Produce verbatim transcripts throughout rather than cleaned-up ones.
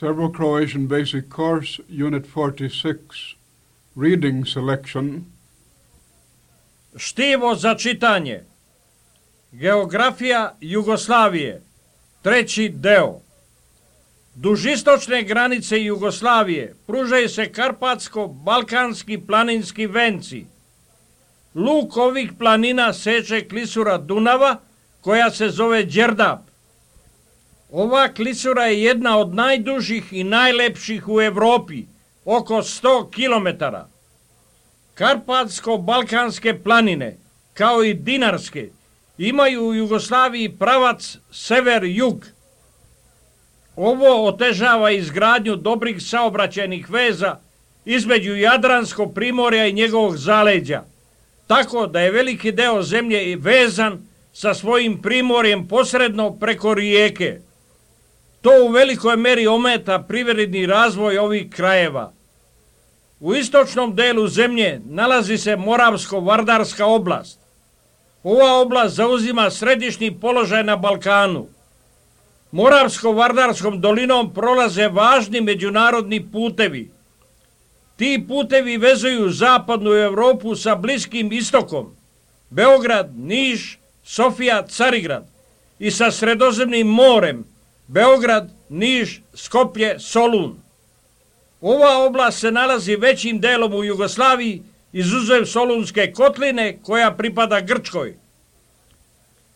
Serbo-Croatian Basic Course, Unit forty-six, Reading Selection. Štivo za čitanje. Geografija Jugoslavije. Treći deo. Duž istočne granice Jugoslavije pružaju se karpatsko-balkanski planinski venci. Luk ovih planina seče klisura Dunava, koja se zove Đerdap. Ova klisura je jedna od najdužih i najlepših u Evropi, oko sto kilometara. Karpatsko-balkanske planine, kao i dinarske, imaju u Jugoslaviji pravac sever-jug. Ovo otežava izgradnju dobrih saobraćajnih veza između Jadranskog primorja i njegovog zaleđa, tako da je veliki deo zemlje vezan sa svojim primorjem posredno preko rijeke. To u velikoj meri ometa privredni razvoj ovih krajeva. U istočnom delu zemlje nalazi se Moravsko-Vardarska oblast. Ova oblast zauzima središnji položaj na Balkanu. Moravsko-Vardarskom dolinom prolaze važni međunarodni putevi. Ti putevi vezuju zapadnu Evropu sa Bliskim istokom, Beograd, Niš, Sofija, Carigrad, i sa Sredozemnim morem, Beograd, Niš, Skoplje, Solun. Ova oblast se nalazi većim delom u Jugoslaviji, izuzev Solunske kotline koja pripada Grčkoj.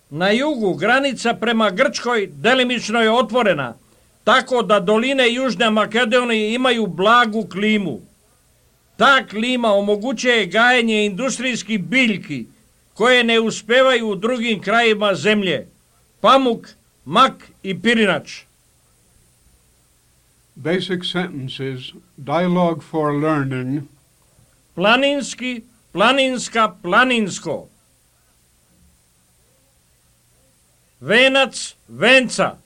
Na jugu granica prema Grčkoj delimično je otvorena, tako da doline Južne Makedonije imaju blagu klimu. Ta klima omogućuje gajenje industrijskih biljki koje ne uspevaju u drugim krajima zemlje: pamuk, mak i pirinač. Basic sentences, dialogue for learning. Planinski, planinska, planinsko. Venac, venca.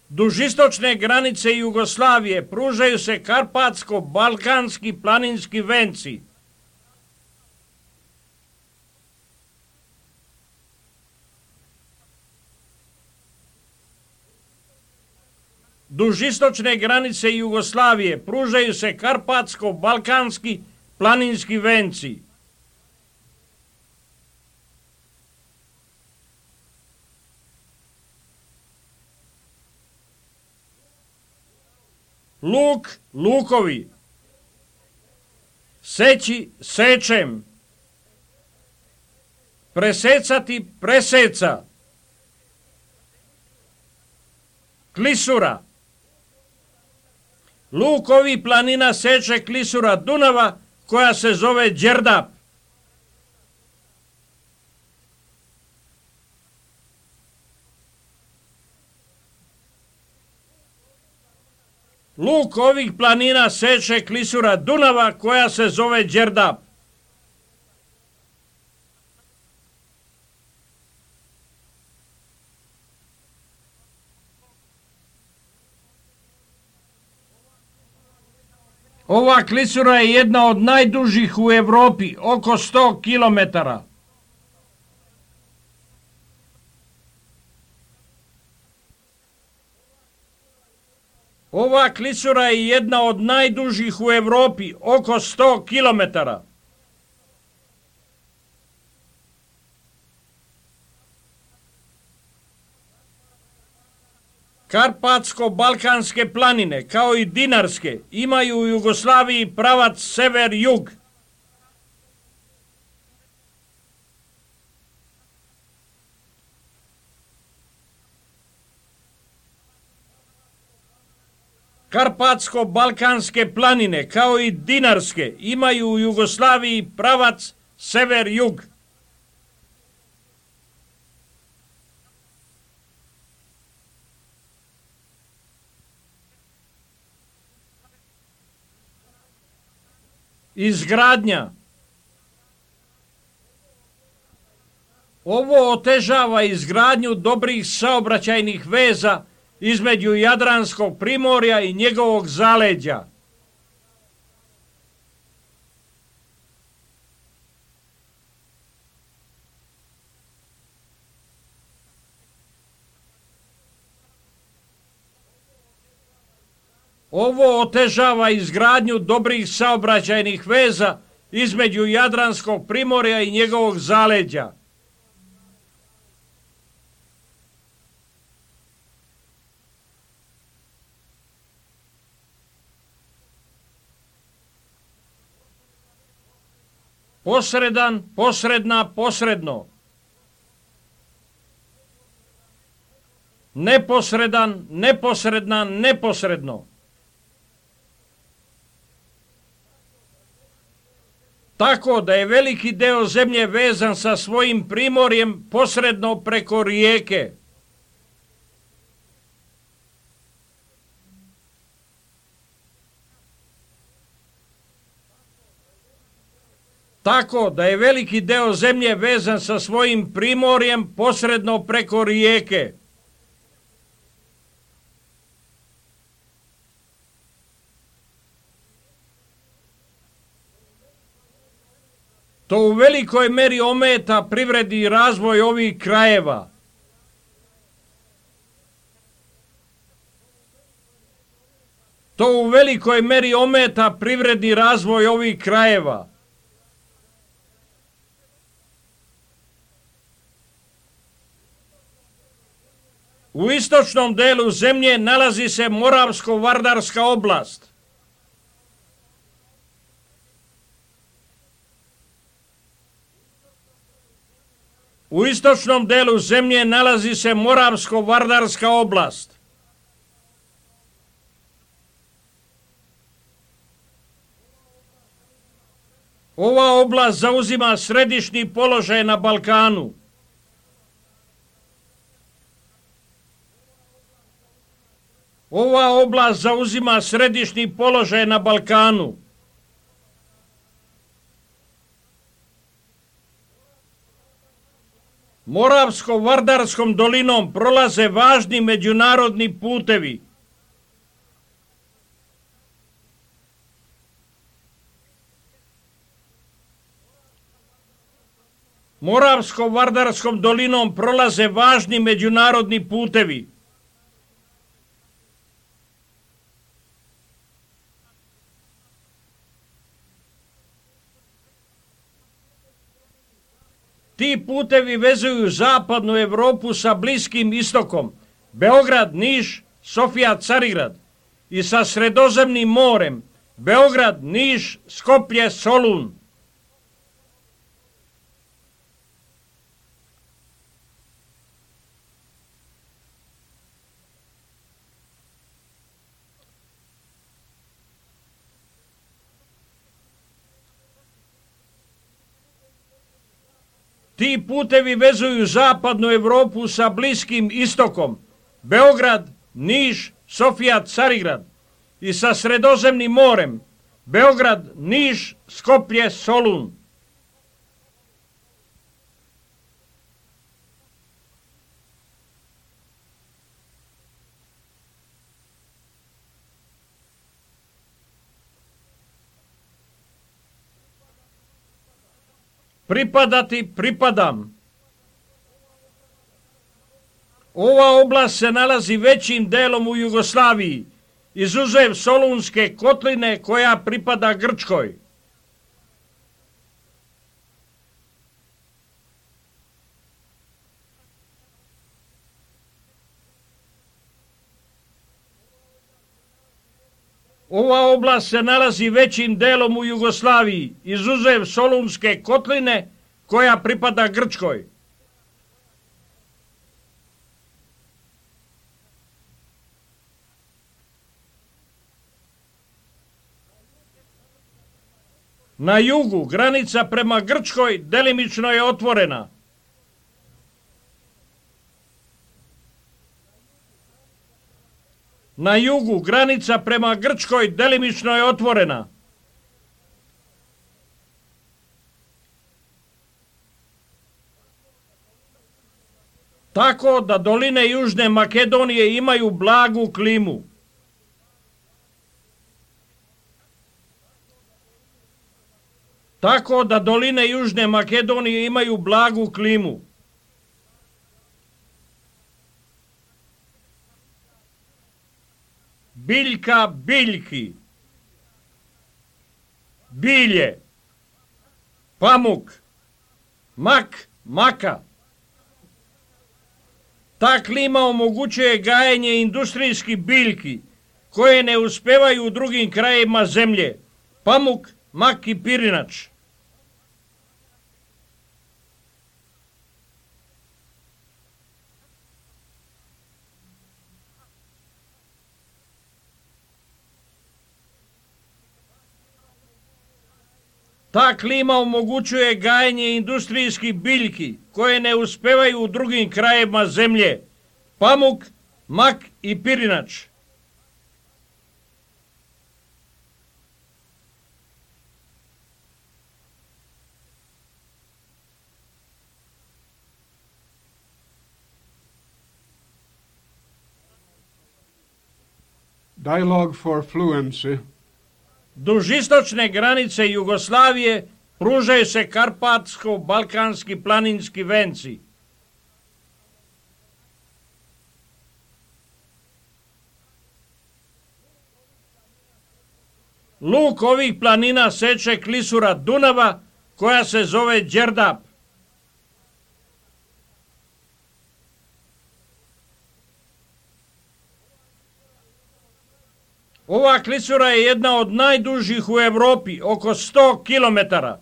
Duž istočne granice Jugoslavije pružaju se karpatsko-balkanski planinski venci. Duž istočne granice Jugoslavije pružaju se karpatsko-balkanski planinski venci. Luk, lukovi. Seći, sečem. Presecati, preseca. Klisura. Luk ovih planina seče klisura Dunava, koja se zove Đerdap. Luk ovih planina seče klisura Dunava, koja se zove Đerdap. Ova klisura je jedna od najdužih u Evropi, oko sto kilometara. Ova klisura je jedna od najdužih u Evropi, oko sto kilometara. Karpatsko-balkanske planine, kao i dinarske, imaju u Jugoslaviji pravac sever-jug. Karpatsko-balkanske planine, kao i dinarske, imaju u Jugoslaviji pravac sever-jug. Izgradnja. Ovo otežava izgradnju dobrih saobraćajnih veza između Jadranskog primorja i njegovog zaleđa. Ovo otežava izgradnju dobrih saobraćajnih veza između Jadranskog primorja i njegovog zaleđa. Posredan, posredna, posredno. Neposredan, neposredna, neposredno. Tako da je veliki deo zemlje vezan sa svojim primorjem posredno preko rijeke. Tako da je veliki deo zemlje vezan sa svojim primorjem posredno preko rijeke. To u velikoj meri ometa privredni razvoj ovih krajeva. To u velikoj meri ometa privredni razvoj ovih krajeva. U istočnom delu zemlje nalazi se Moravsko-Vardarska oblast. U istočnom delu zemlje nalazi se Moravsko-Vardarska oblast. Ova oblast zauzima središnji položaj na Balkanu. Ova oblast zauzima središnji položaj na Balkanu. Moravsko-Vardarskom dolinom prolaze važni međunarodni putevi. Moravsko-Vardarskom dolinom prolaze važni međunarodni putevi. Ti putevi vezuju zapadnu Evropu sa Bliskim istokom, Beograd, Niš, Sofija, Carigrad, i sa Sredozemnim morem, Beograd, Niš, Skoplje, Solun. Ti putevi vezuju zapadnu Evropu sa Bliskim istokom, Beograd, Niš, Sofija, Carigrad, i sa Sredozemnim morem, Beograd, Niš, Skoplje, Solun. Pripadati, pripadam. Ova oblast se nalazi većim delom u Jugoslaviji, izuzev Solunske kotline koja pripada Grčkoj. Ova oblast se nalazi većim delom u Jugoslaviji, izuzev Solunske kotline koja pripada Grčkoj. Na jugu granica prema Grčkoj delimično je otvorena. Na jugu granica prema Grčkoj delimično je otvorena. Tako da doline Južne Makedonije imaju blagu klimu. Tako da doline Južne Makedonije imaju blagu klimu. biljka biljki, bilje, pamuk, mak, maka. Ta klima omogućuje gajenje industrijskih biljki koje ne uspevaju u drugim krajevima zemlje, pamuk, mak i pirinač. Ta klima omogućuje gajenje industrijskih biljki koje ne uspevaju u drugim krajevima zemlje, pamuk, mak i pirinač. Dialogue for fluency. Duž istočne granice Jugoslavije pružaju se karpatsko-balkanski planinski venci. Luk ovih planina seče klisura Dunava koja se zove Đerdap. Ova klisura je jedna od najdužih u Europi, oko sto kilometara.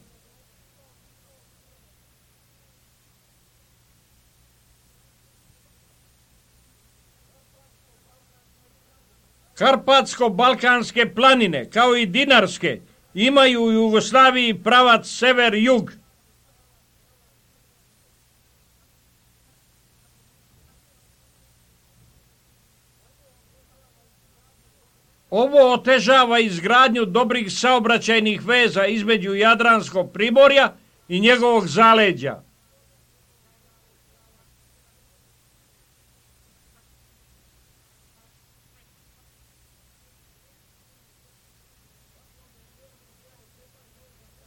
Karpatsko-balkanske planine, kao i dinarske, imaju u Jugoslaviji pravac sever-jug. Ovo otežava izgradnju dobrih saobraćajnih veza između Jadranskog primorja i njegovog zaleđa.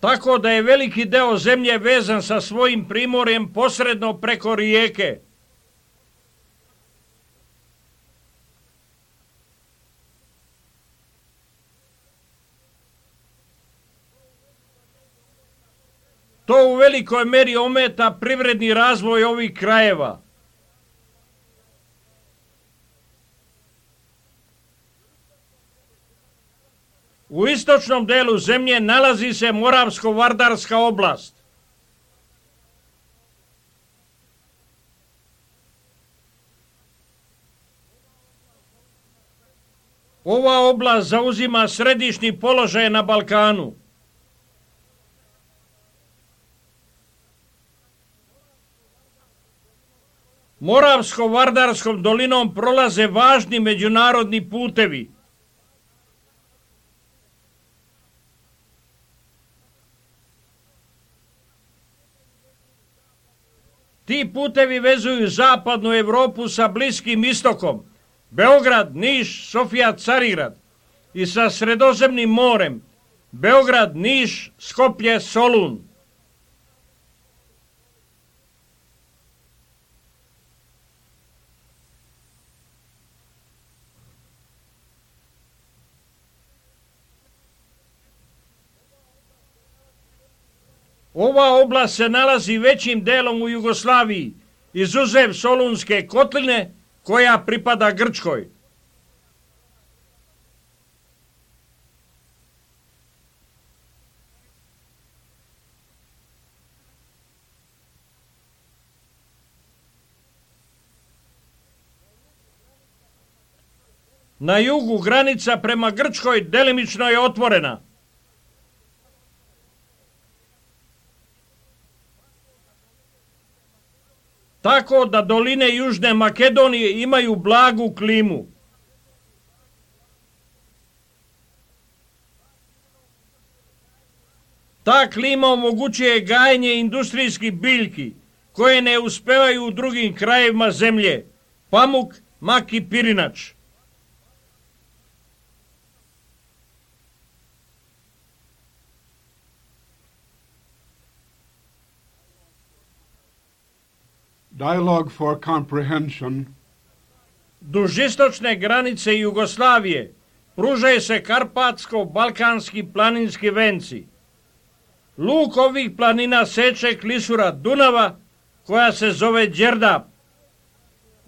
Tako da je veliki deo zemlje vezan sa svojim primorjem posredno preko rijeke. To u velikoj meri ometa privredni razvoj ovih krajeva. U istočnom delu zemlje nalazi se Moravsko-Vardarska oblast. Ova oblast zauzima središnji položaj na Balkanu. Moravsko-Vardarskom dolinom prolaze važni međunarodni putevi. Ti putevi vezuju zapadnu Europu sa Bliskim istokom, Beograd, Niš, Sofija, Carigrad, i sa Sredozemnim morem, Beograd, Niš, Skoplje, Solun. Ova oblast se nalazi većim delom u Jugoslaviji, izuzev Solunske kotline, koja pripada Grčkoj. Na jugu granica prema Grčkoj delimično je otvorena. Tako da doline Južne Makedonije imaju blagu klimu. Ta klima omogućuje gajenje industrijskih biljki koje ne uspevaju u drugim krajevima zemlje, pamuk, mak i pirinač. Dialogue for comprehension. Duž istočne granice Jugoslavije pružaju se karpatsko-balkanski planinski venci. Luk ovih planina seče klisura Dunava koja se zove Đerdap.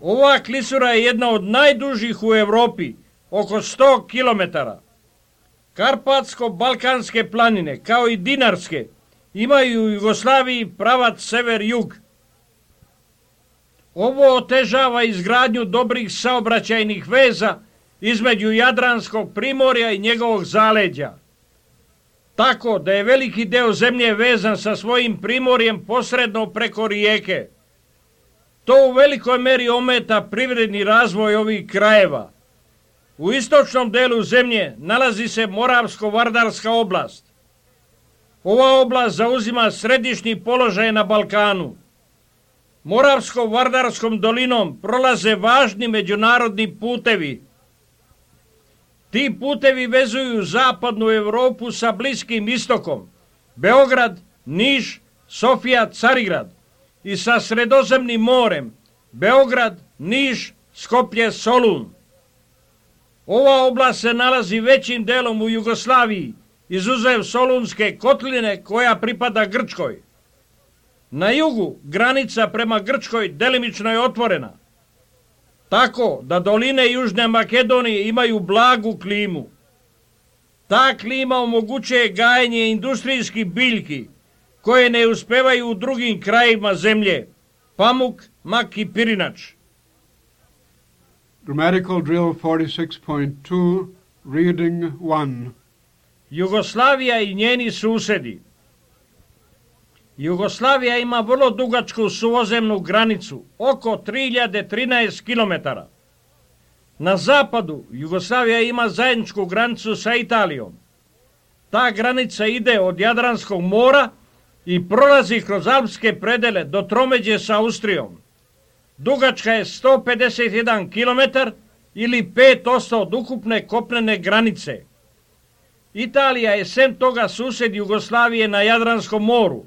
Ova klisura je jedna od najdužih u Europi, oko sto kilometara. Karpatsko-balkanske planine, kao i dinarske, imaju u Jugoslaviji pravac sever-jug. Ovo otežava izgradnju dobrih saobraćajnih veza između Jadranskog primorja i njegovog zaleđa. Tako da je veliki deo zemlje vezan sa svojim primorjem posredno preko rijeke. To u velikoj meri ometa privredni razvoj ovih krajeva. U istočnom delu zemlje nalazi se Moravsko-Vardarska oblast. Ova oblast zauzima središnji položaj na Balkanu. Moravsko-Vardarskom dolinom prolaze važni međunarodni putevi. Ti putevi vezuju zapadnu Europu sa Bliskim istokom, Beograd, Niš, Sofija, Carigrad, i sa Sredozemnim morem, Beograd, Niš, Skoplje, Solun. Ova oblast se nalazi većim delom u Jugoslaviji, izuzev Solunske kotline koja pripada Grčkoj. Na jugu granica prema Grčkoj delimično je otvorena, tako da doline Južne Makedonije imaju blagu klimu. Ta klima omogućuje gajenje industrijskih biljki koje ne uspevaju u drugim krajevima zemlje, pamuk, mak i pirinač. Grammatical drill forty-six point two, reading one. Jugoslavija i njeni susedi. Jugoslavija ima vrlo dugačku suvozemnu granicu, oko tri hiljade trinaest kilometara. Na zapadu Jugoslavija ima zajedničku granicu sa Italijom. Ta granica ide od Jadranskog mora i prolazi kroz alpske predele do tromeđe sa Austrijom. Dugačka je sto pedeset jedan kilometar ili pet posto od ukupne kopnene granice. Italija je sem toga sused Jugoslavije na Jadranskom moru.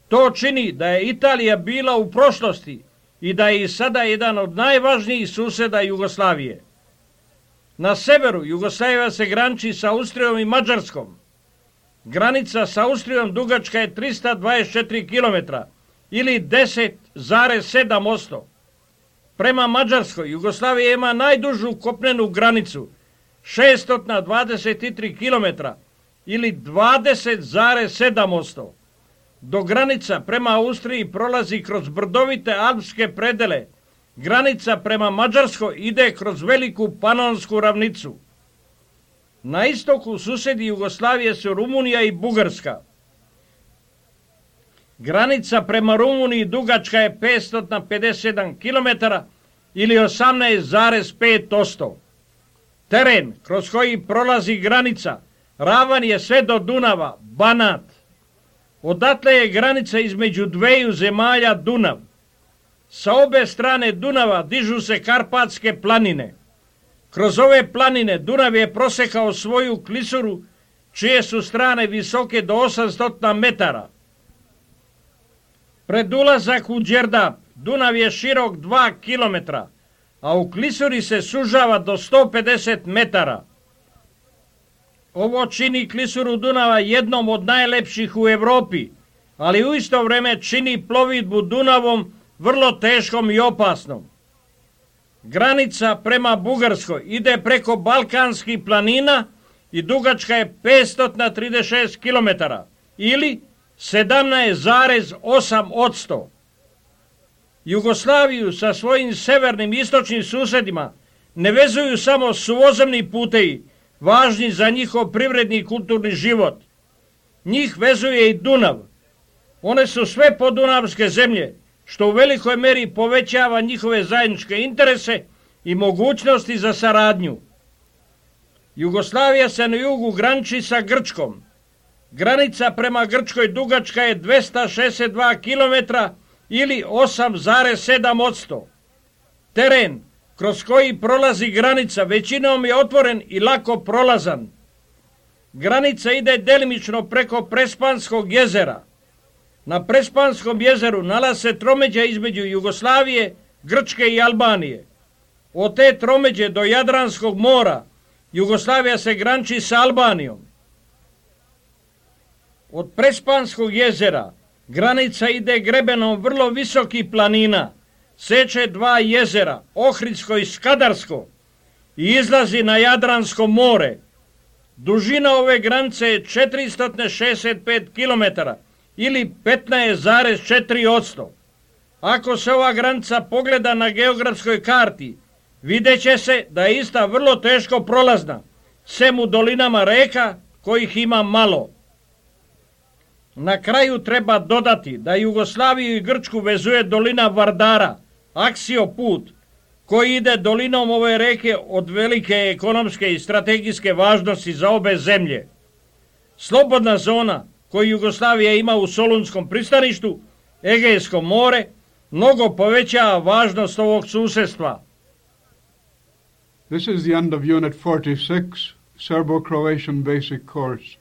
To čini da je Italija bila u prošlosti i da je i sada jedan od najvažnijih suseda Jugoslavije. Na severu Jugoslavija se graniči sa Austrijom i Mađarskom. Granica sa Austrijom dugačka je trista dvadeset četiri kilometra ili deset zarez sedam posto. Prema Mađarskoj Jugoslavija ima najdužu kopnenu granicu, šesto dvadeset tri kilometra ili dvadeset zarez sedam posto. Do granica prema Austriji prolazi kroz brdovite alpske predele. Granica prema Mađarskoj ide kroz veliku panonsku ravnicu. Na istoku susedi Jugoslavije su Rumunija i Bugarska. Granica prema Rumuniji dugačka je petsto pedeset sedam kilometara ili osamnaest zarez pet posto. Teren kroz koji prolazi granica ravan je sve do Dunava, Banat. Odatle je granica između dveju zemalja Dunav. Sa obe strane Dunava dižu se Karpatske planine. Kroz ove planine Dunav je prosekao svoju klisuru, čije su strane visoke do osamsto metara. Pred ulazak u Đerdap Dunav je širok dva kilometra, a u klisuri se sužava do sto pedeset metara. Ovo čini klisuru Dunava jednom od najlepših u Europi, ali u isto vrijeme čini plovidbu Dunavom vrlo teškom i opasnom. Granica prema Bugarskoj ide preko Balkanskih planina i dugačka je petsto trideset šest kilometara ili sedamnaest zarez osam posto. Jugoslaviju sa svojim severnim i istočnim susedima ne vezuju samo suvozemni putevi, važni za njihov privredni i kulturni život. Njih vezuje i Dunav. One su sve podunavske zemlje, što u velikoj meri povećava njihove zajedničke interese i mogućnosti za saradnju. Jugoslavija se na jugu graniči sa Grčkom. Granica prema Grčkoj dugačka je dvesta šezdeset dva kilometra ili osam zarez sedam posto. Teren kroz koji prolazi granica većinom je otvoren i lako prolazan. Granica ide delimično preko Prespanskog jezera. Na Prespanskom jezeru nalaze se tromeđa između Jugoslavije, Grčke i Albanije. Od te tromeđe do Jadranskog mora Jugoslavija se graniči sa Albanijom. Od Prespanskog jezera granica ide grebenom vrlo visokih planina, seče dva jezera, Ohridsko i Skadarsko, i izlazi na Jadransko more. Dužina ove granice je četiristo šezdeset pet kilometara ili petnaest zarez četiri posto. Ako se ova granica pogleda na geografskoj karti, vidjet će se da je ista vrlo teško prolazna, sem u dolinama reka kojih ima malo. Na kraju treba dodati da Jugoslaviju i Grčku vezuje dolina Vardara, aksioput, koji ide dolinom ove reke od velike ekonomske i strategijske važnosti za obe zemlje. Slobodna zona koju Jugoslavija ima u Solunskom pristaništu, Egejsko more, mnogo povećava važnost ovog susjedstva. This is the end of Unit forty-six, Serbo-Croatian Basic Course.